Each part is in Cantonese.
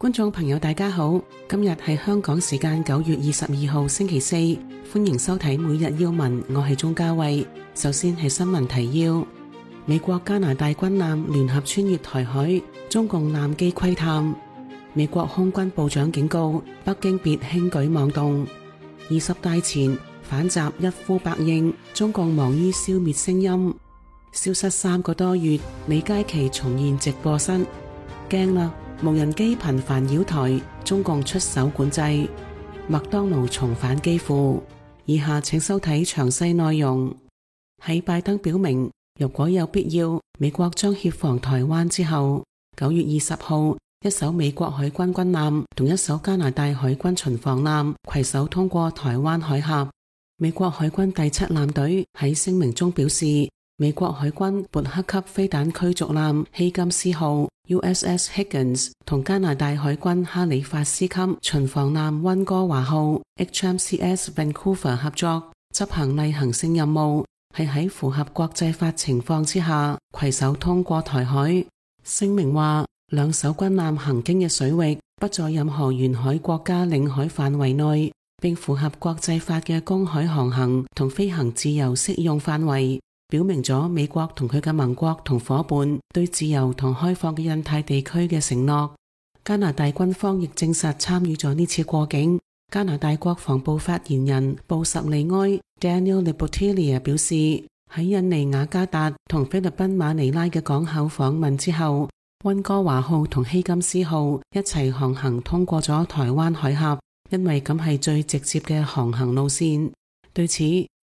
觀眾朋友大家好，今日係香港時間9月22號星期四，歡迎收睇每日要聞，我係鍾嘉慧。首先係新聞提要：美國加拿大軍艦聯合穿越台海，中共艦機窺探。美國空軍部長警告北京別輕舉妄動。20大前反習一呼百應，中共忙於消滅聲音。消失3個多月，李佳琦重現直播室，驚啦！無人機頻繁擾台，中共出手管制。麥當勞重返機庫。以下請收睇詳細內容。喺拜登表明如果有必要，美國將協防台灣之後，9月20號，一艘美國海軍軍艦同一艘加拿大海軍巡防艦攜手通過台灣海峽。美國海軍第7艦隊喺聲明中表示，美國海軍勃克級飛彈驅逐艦希金斯號 USS Higgins 同加拿大海軍哈里法斯級巡防艦溫哥華號 HMCS Vancouver 合作執行例行性任務，係喺符合國際法情況之下攜手通過台海。聲明話，兩艘軍艦行經嘅水域不在任何沿海國家領海範圍內，並符合國際法嘅公海航行同飛行自由適用範圍，表明咗美國同佢嘅盟國同夥伴對自由同開放嘅印太地區嘅承諾。加拿大軍方亦證實參與咗呢次過境。加拿大國防部發言人布什利埃 Daniel Lebotilla 表示，喺印尼雅加達同菲律賓馬尼拉嘅港口訪問之後，溫哥華號同希金斯號一齊航行通過咗台灣海峽，因為咁係最直接嘅航行路線。對此，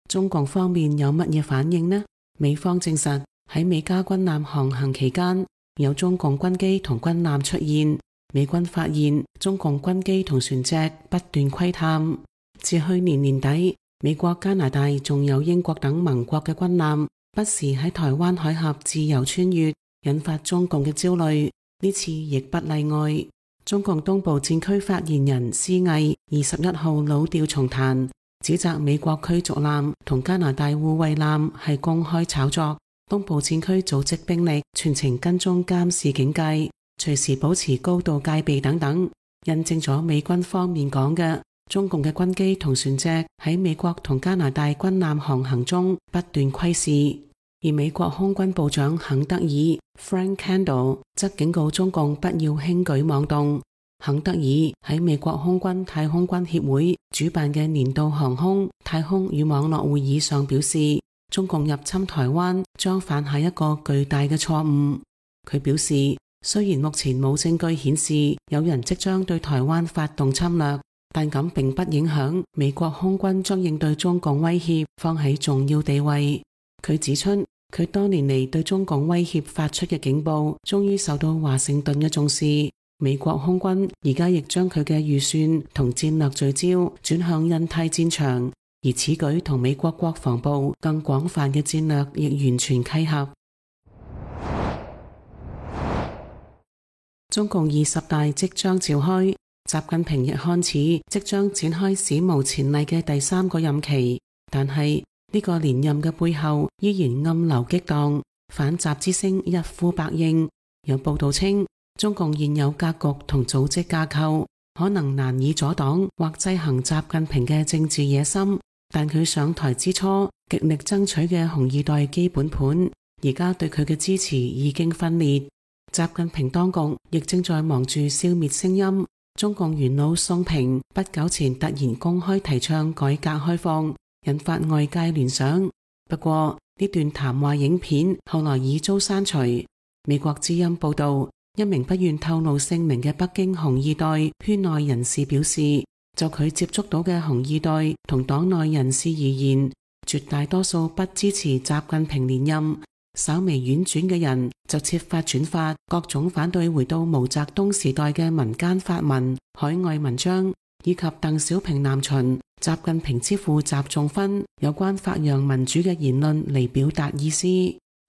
中共方面有乜嘢反應呢？美方證實喺美加軍艦航行期間，有中共軍機同軍艦出現。美軍發現中共軍機同船隻不斷窺探。自去年年底，美國、加拿大仲有英國等盟國嘅軍艦不時喺台灣海峽自由穿越，引發中共嘅焦慮。呢次亦不例外。中共東部戰區發言人施毅21號老調重彈，指責美國驅逐艦同加拿大護衛艦係公開炒作，東部戰區組織兵力全程跟蹤監視警戒，隨時保持高度戒備等等，印證咗美軍方面講嘅，中共嘅軍機同船隻喺美國同加拿大軍艦航行中不斷窺視。而美國空軍部長肯德爾 Frank Kendall 則警告中共不要輕舉妄動。肯德爾喺美國空軍太空軍協會主辦嘅年度航空、太空與網絡會議上表示，中共入侵台灣將犯下一個巨大嘅錯誤。佢表示，雖然目前冇證據顯示有人即將對台灣發動侵略，但咁並不影響美國空軍將應對中共威脅放喺重要地位。佢指出，佢多年嚟對中共威脅發出嘅警報終於受到華盛頓嘅重視。美國空軍而家亦將佢嘅預算同戰略聚焦轉向印太戰場，而此舉同美國國防部更廣泛嘅戰略亦完全契合。中共20大即將召開，習近平亦看似即將展開史無前例嘅第3個任期，但係呢個連任嘅背後依然暗流激盪，反習之聲一呼百應。有報道稱，中共現有格局同組織架構可能難以阻擋或制衡習近平嘅政治野心，但佢上台之初極力爭取嘅紅二代基本盤，而家對佢嘅支持已經分裂。習近平當局亦正在忙住消滅聲音。中共元老宋平不久前突然公開提倡改革開放，引發外界聯想。不過呢段談話影片後來已遭刪除。美國之音報道，一名不願透露姓名嘅北京紅二代圈內人士表示，就佢接觸到嘅紅二代同黨內人士而言，絕大多數不支持習近平連任，稍微婉轉嘅人就設法轉發各種反對回到毛澤東時代嘅民間發文、海外文章，以及鄧小平南巡、習近平之父習仲勳有關發揚民主嘅言論嚟表達意思。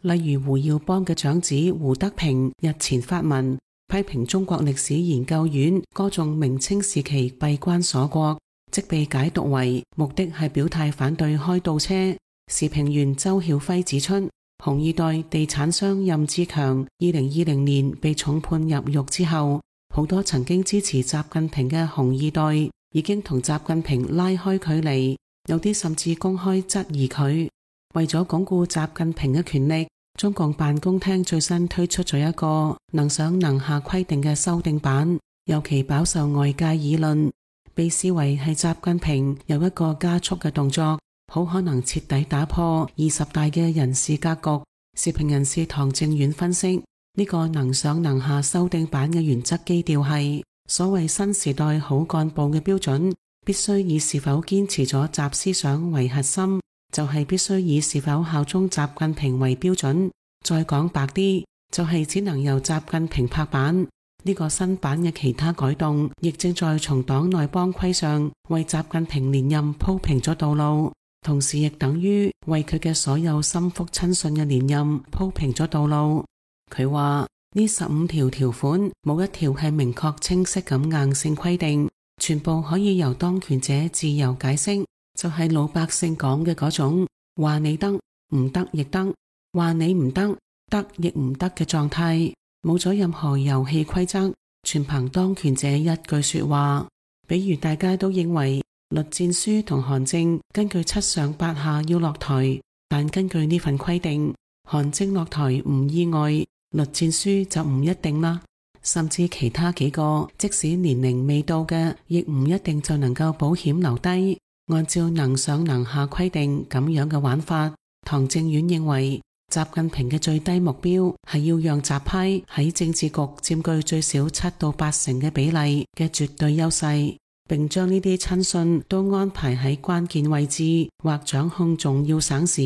例如胡耀邦嘅長子胡德平日前發文批評中國歷史研究院歌頌明清時期閉關鎖國，即被解讀為目的係表態反對開倒車。時評員周曉輝指出，紅二代地產商任志強2020年被重判入獄之後，好多曾經支持習近平嘅紅二代已經同習近平拉開距離，有啲甚至公開質疑佢。為咗鞏固習近平嘅權力，中共辦公廳最新推出咗一個能上能下規定嘅修訂版，尤其飽受外界議論，被視為係習近平有一個加速嘅動作，好可能徹底打破20大嘅人事格局。時評人士唐正遠分析，呢個能上能下修訂版嘅原則基調係所謂新時代好幹部嘅標準，必須以是否堅持咗習思想為核心，就係必須以是否效忠習近平為標準。再講白啲，就係只能由習近平拍板。呢個新版嘅其他改動，亦正在從黨內幫規上為習近平連任鋪平咗道路，同時亦等於為佢嘅所有心腹親信嘅連任鋪平咗道路。佢話呢15條條款冇一條係明確清晰咁硬性規定，全部可以由當權者自由解釋，就係老百姓講嘅嗰種話你得唔得亦得，話你唔得得亦唔得嘅狀態，冇咗任何遊戲規則，全憑當權者一句說話。比如大家都認為栗戰書同韓正根據7上8下要落台，但根據呢份規定，韓正落台唔意外，栗戰書就唔一定啦。甚至其他幾個即使年齡未到嘅，亦唔一定就能夠保險留低。按照能上能下規定咁樣嘅玩法，唐正遠認為習近平嘅最低目標係要讓習派喺政治局佔據最少7到8成嘅比例嘅絕對優勢，並將呢啲親信都安排喺關鍵位置或掌控重要省市。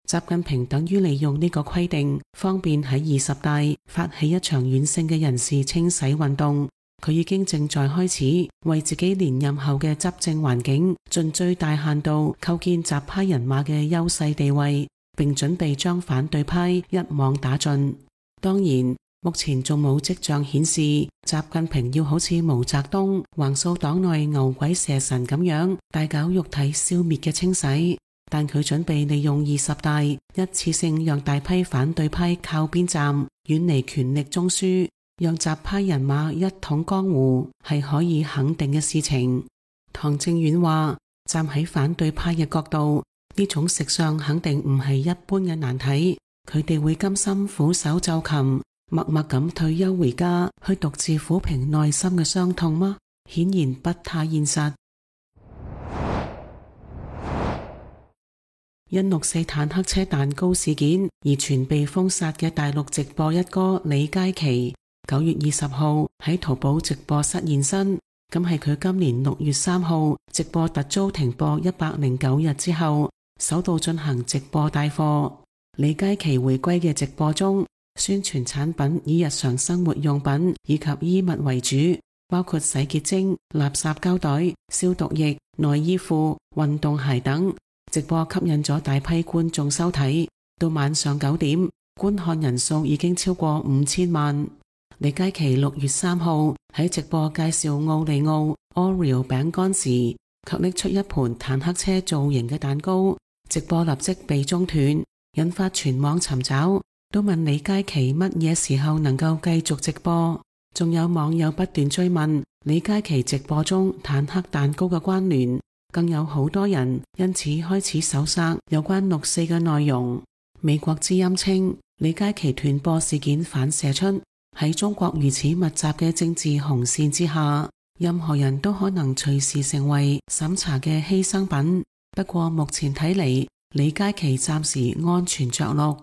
習近平等於利用呢個規定，方便喺20大發起一場軟性嘅人事清洗運動。佢已經正在開始為自己連任後嘅執政環境盡最大限度構建習派人馬嘅優勢地位，並準備將反對派一網打盡。當然，目前仲冇跡象顯示習近平要好似毛澤東橫掃黨內牛鬼蛇神咁樣大搞肉體消滅嘅清洗，但佢準備利用20大一次性讓大批反對派靠邊站，遠離權力中樞，讓習派人馬一統江湖，係可以肯定嘅事情。唐正遠話，站喺反對派嘅角度，呢種食相肯定唔係一般嘅難題，佢哋會甘心俯首就擒，默默咁退休回家，去獨自撫平內心嘅傷痛嗎？顯然不太現實。因6·4坦克車蛋糕事件而全被封殺嘅大陸直播一哥李佳琦，9月20號喺淘寶直播室現身，咁係佢今年6月3號直播突遭停播109日之後，首度進行直播帶貨。李佳琦回歸嘅直播中，宣傳產品以日常生活用品以及衣物為主，包括洗潔精、垃圾膠袋、消毒液、內衣褲、運動鞋等。直播吸引咗大批觀眾收睇，到晚上9點，觀看人數已經超過5000萬。李佳琦6月3號喺直播介紹奧利奧 Oreo 餅乾時，卻拎出一盤坦克車造型嘅蛋糕，直播立即被中斷，引發全網尋找，都問李佳琦乜嘢時候能夠繼續直播。仲有網友不斷追問李佳琦直播中坦克蛋糕嘅關聯，更有好多人因此開始搜索有關6·4嘅內容。美國之音稱，李佳琦斷播事件反射出喺中國如此密集嘅政治紅線之下，任何人都可能隨時成為審查嘅犧牲品。不過目前睇嚟，李佳琦暫時安全着陸。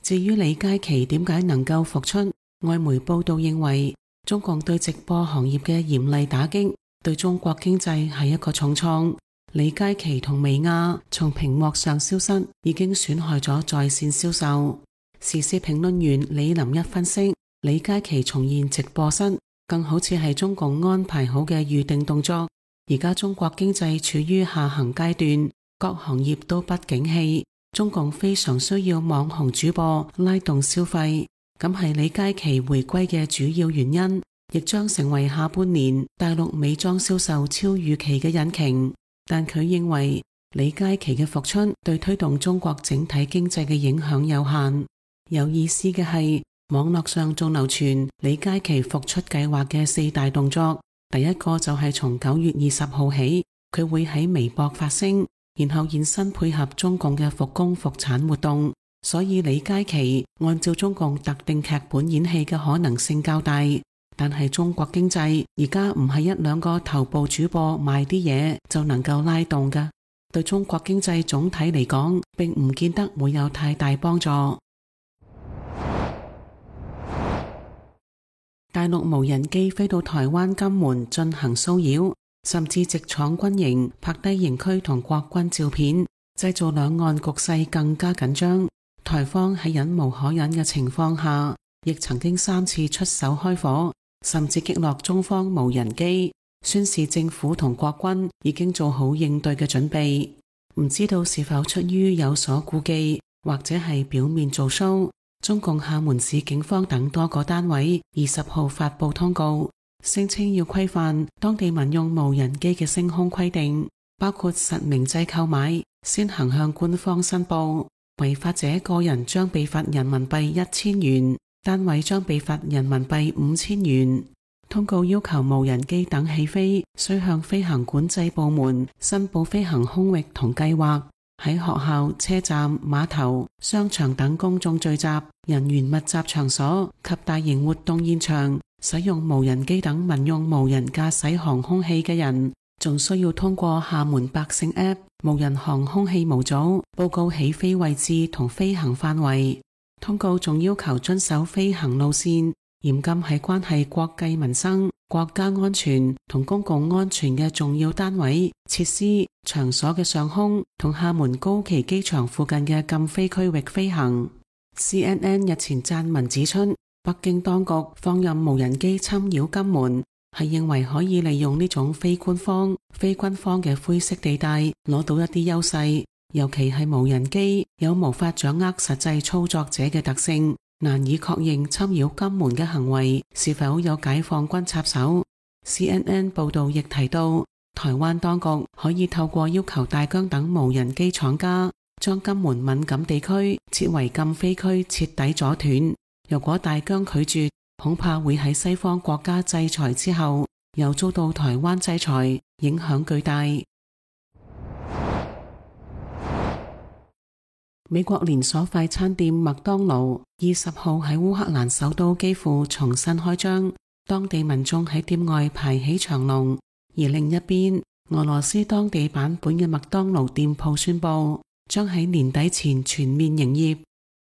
至於李佳琦點解能夠復出，外媒報道認為，中共對直播行業嘅嚴厲打擊對中國經濟係一個重創。李佳琦同薇婭從屏幕上消失，已經損害咗在線銷售。時事評論員李林一分析，李佳琦重現直播室，更好似係中共安排好嘅預定動作。而家中國經濟處於下行階段，各行業都不景氣，中共非常需要網紅主播拉動消費，咁係李佳琦回歸嘅主要原因，亦將成為下半年大陸美妝銷售超預期嘅引擎。但佢認為李佳琦嘅復出對推動中國整體經濟嘅影響有限。有意思嘅係，網絡上仲流傳李佳琦復出計劃嘅4大動作，第一個就係從9月20號起，佢會喺微博發聲，然後現身配合中共嘅復工復產活動。所以李佳琦按照中共特定劇本演戲嘅可能性較大。但係中國經濟而家唔係1、2個頭部主播賣啲嘢就能夠拉動㗎，對中國經濟總體嚟講並唔見得會有太大幫助。大陸無人機飛到台灣金門進行騷擾，甚至直闖軍營拍低營區同國軍照片，製造兩岸局勢更加緊張。台方喺忍無可忍嘅情況下，亦曾經3次出手開火，甚至擊落中方無人機，宣示政府同國軍已經做好應對嘅準備。唔知道是否出於有所顧忌，或者係表面做 show，中共廈門市警方等多個單位20號發布通告，聲稱要規範當地民用無人機嘅升空規定，包括實名制購買，先行向官方申報，違法者個人將被罰人民幣1000元，單位將被罰人民幣5000元。通告要求無人機等起飛須向飛行管制部門申報飛行空域同計劃，喺學校、車站、碼頭、商場等公眾聚集、人員密集場所及大型活動現場使用無人機等民用無人駕駛航空器嘅人，仲需要通過廈門百姓 App 無人航空器模組報告起飛位置同飛行範圍。通告仲要求遵守飛行路線，嚴禁喺關係國計民生、國家安全同公共安全嘅重要單位、設施、場所嘅上空同廈門高崎機場附近嘅禁飛區域飛行。CNN 日前撰文指出，北京當局放任無人機侵擾金門，係認為可以利用呢種非官方、非軍方嘅灰色地帶攞到一啲優勢，尤其係無人機有無法掌握實際操作者嘅特性，難以確認侵擾金門嘅行為是否有解放軍插手。CNN 報道亦提到，台灣當局可以透過要求大疆等無人機廠家將金門敏感地區設為禁飛區徹底阻斷。如果大疆拒絕，恐怕會喺西方國家制裁之後又遭到台灣制裁，影響巨大。美國連鎖快餐店麥當勞20號喺烏克蘭首都基輔重新開張，當地民眾喺店外排起長龍。而另一邊，俄羅斯當地版本嘅麥當勞店鋪宣布將喺年底前全面營業。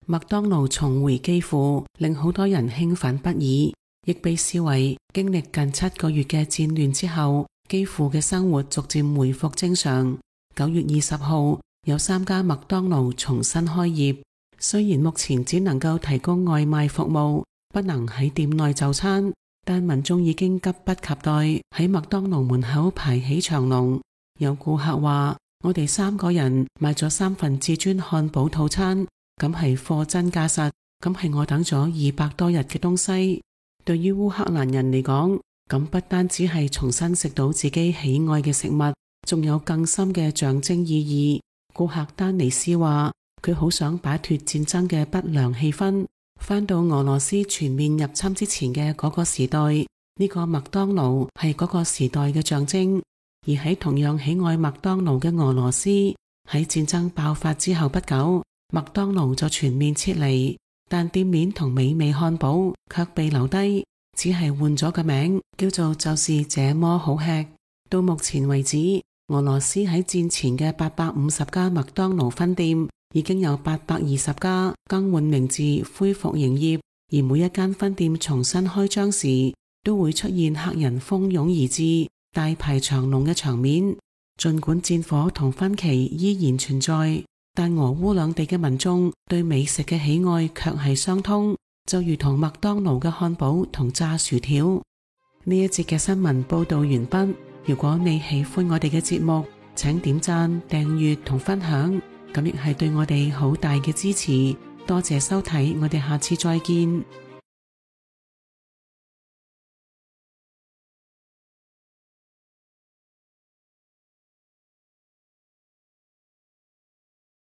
麥當勞重回基輔，令好多人興奮不已，亦被視為經歷近7個月嘅戰亂之後，基輔嘅生活逐漸回復正常。9月20號，有3家麥當勞重新開業，雖然目前只能夠提供外賣服務，不能喺店內就餐，但民眾已經急不及待喺麥當勞門口排起長龍。有顧客話：我哋3個人買咗3份至尊漢堡套餐，咁係貨真價實，咁係我等咗200多日嘅東西。對於烏克蘭人嚟講，咁不單只係重新食到自己喜愛嘅食物，仲有更深嘅象徵意義。顧客丹尼斯話：佢好想擺脫戰爭嘅不良氣氛，返到俄羅斯全面入侵之前嘅嗰個時代。呢個麥當勞係嗰個時代嘅象徵。而喺同樣喜愛麥當勞嘅俄羅斯，喺戰爭爆發之後不久，麥當勞就全面撤離，但店面同美味漢堡卻被留低，只係換咗個名，叫做就是這麼好吃。到目前為止，俄羅斯喺戰前嘅850家麥當勞分店已經有820家更換名字恢復營業，而每一間分店重新開張時都會出現客人蜂擁而至、大排長龍嘅場面。盡管戰火同分歧依然存在，但俄烏兩地嘅民眾對美食嘅喜愛卻係相通，就如同麥當勞嘅漢堡同炸薯條。呢一節嘅新聞報道完畢。如果你喜歡我哋嘅節目，請點讚、訂閱同分享，咁亦係對我哋好大嘅支持。多謝收睇，我哋下次再見。